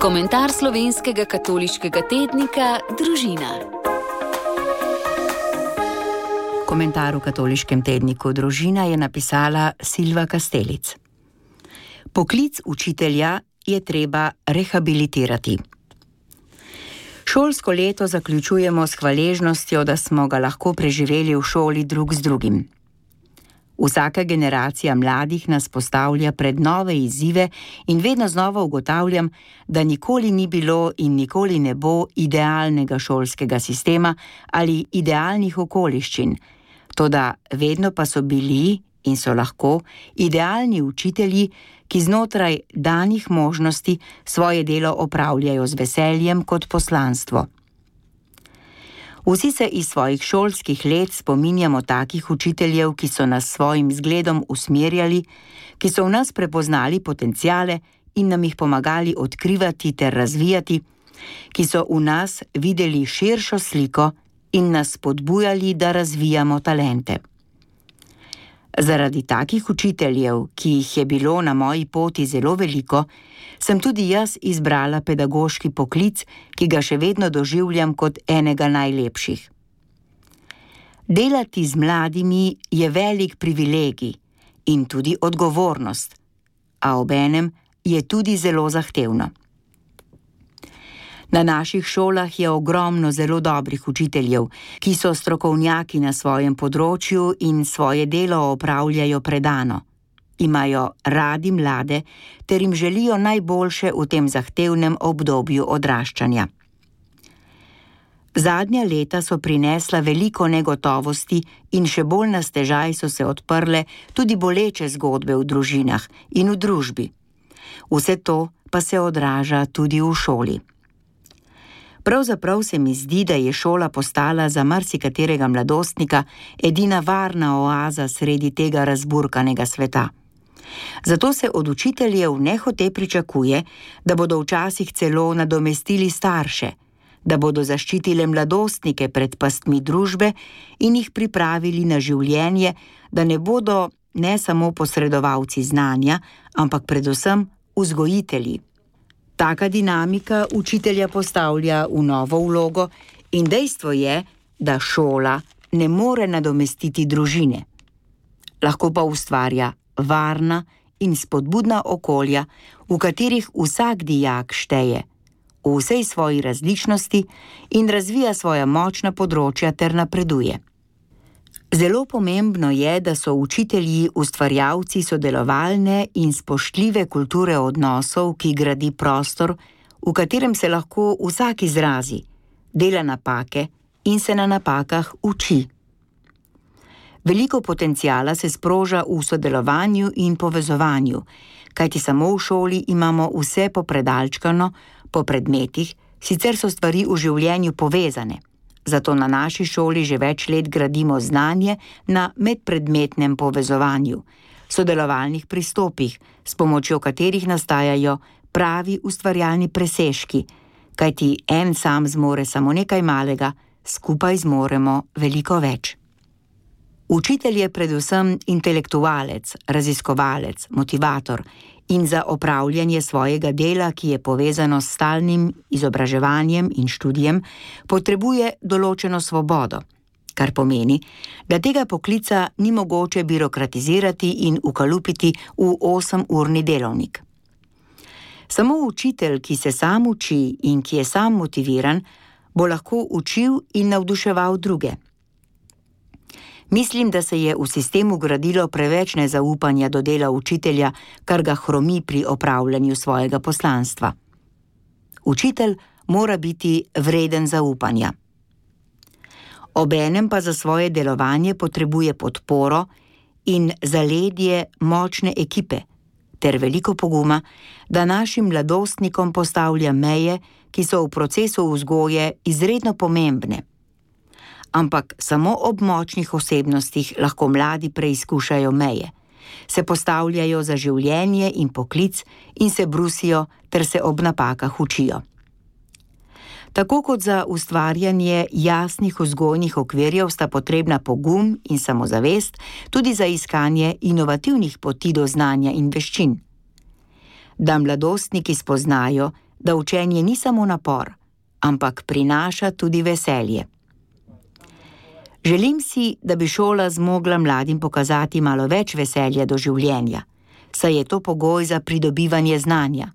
Komentar slovenskega katoliškega tednika Družina. Komentar v katoliškem tedniku Družina je napisala Silva Kastelic. Poklic učitelja je treba rehabilitirati. Šolsko leto zaključujemo s hvaležnostjo, da smo ga lahko preživeli v šoli drug z drugim. Vsaka generacija mladih nas postavlja pred nove izzive in vedno znova ugotavljam, da nikoli ni bilo in nikoli ne bo idealnega šolskega sistema ali idealnih okoliščin, toda vedno pa so bili in so lahko idealni učitelji, ki znotraj danih možnosti svoje delo opravljajo z veseljem kot poslanstvo. Vsi se iz svojih šolskih let spominjamo takih učiteljev, ki so nas svojim zgledom usmerjali, ki so v nas prepoznali potenciale in nam jih pomagali odkrivati ter razvijati, ki so v nas videli širšo sliko in nas spodbujali, da razvijamo talente. Zaradi takih učiteljev, ki jih je bilo na moji poti zelo veliko, sem tudi jaz izbrala pedagoški poklic, ki ga še vedno doživljam kot enega najlepših. Delati z mladimi je velik privilegij in tudi odgovornost, a obenem je tudi zelo zahtevno. Na naših šolah je ogromno zelo dobrih učiteljev, ki so strokovnjaki na svojem področju in svoje delo opravljajo predano. Imajo radi mlade ter jim želijo najboljše v tem zahtevnem obdobju odraščanja. Zadnja leta so prinesla veliko negotovosti in še bolj na stežaj so se odprle tudi boleče zgodbe v družinah in v družbi. Vse to pa se odraža tudi v šoli. Pravzaprav se mi zdi, da je šola postala za marsikaterega mladostnika edina varna oaza sredi tega razburkanega sveta. Zato se od učiteljev nehote pričakuje, da bodo včasih celo nadomestili starše, da bodo zaščitile mladostnike pred pastmi družbe in jih pripravili na življenje, da ne bodo ne samo posredovalci znanja, ampak predvsem vzgojitelji. Taka dinamika učitelja postavlja v novo vlogo in dejstvo je, da šola ne more nadomestiti družine. Lahko pa ustvarja varna in spodbudna okolja, v katerih vsak dijak šteje v vsej svoji različnosti in razvija svoja močna področja ter napreduje. Zelo pomembno je, da so učitelji ustvarjalci sodelovalne in spoštljive kulture odnosov, ki gradi prostor, v katerem se lahko vsak izrazi, dela napake in se na napakah uči. Veliko potenciala se sproža v sodelovanju in povezovanju, kajti samo v šoli imamo vse popredalčkano, po predmetih, sicer so stvari v življenju povezane. Zato na naši šoli že več let gradimo znanje na medpredmetnem povezovanju, sodelovalnih pristopih, s pomočjo katerih nastajajo pravi ustvarjalni presežki, kajti en sam zmore samo nekaj malega, skupaj zmoremo veliko več. Učitelj je predvsem intelektualec, raziskovalec, motivator in za opravljanje svojega dela, ki je povezano s stalnim izobraževanjem in študijem, potrebuje določeno svobodo, kar pomeni, da tega poklica ni mogoče birokratizirati in ukalupiti v 8-urni delovnik. Samo učitelj, ki se sam uči in ki je sam motiviran, bo lahko učil in navduševal druge. Mislim, da se je v sistemu gradilo preveč nezaupanja do dela učitelja, kar ga hromi pri opravljanju svojega poslanstva. Učitelj mora biti vreden zaupanja. Obenem pa za svoje delovanje potrebuje podporo in zaledje močne ekipe ter veliko poguma, da našim mladostnikom postavlja meje, ki so v procesu vzgoje izredno pomembne. Ampak samo ob močnih osebnostih lahko mladi preizkušajo meje, se postavljajo za življenje in poklic in se brusijo ter se ob napakah učijo. Tako kot za ustvarjanje jasnih vzgojnih okvirjev sta potrebna pogum in samozavest, tudi za iskanje inovativnih poti do znanja in veščin. Da mladostniki spoznajo, da učenje ni samo napor, ampak prinaša tudi veselje. Želim si, da bi šola zmogla mladim pokazati malo več veselja do življenja, saj je to pogoj za pridobivanje znanja.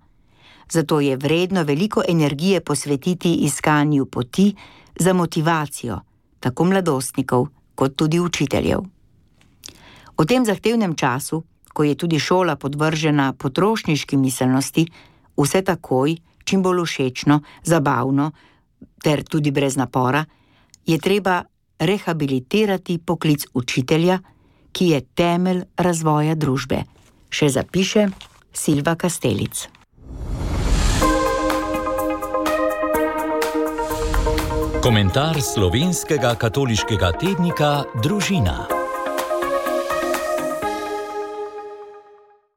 Zato je vredno veliko energije posvetiti iskanju poti za motivacijo, tako mladostnikov kot tudi učiteljev. V tem zahtevnem času, ko je tudi šola podvržena potrošniški miselnosti, vse takoj, čim bolj všečno, zabavno ter tudi brez napora, je treba rehabilitirati poklic učitelja, ki je temelj razvoja družbe, še zapiše Silva Kastelic. Komentar slovenskega katoliškega tednika Družina.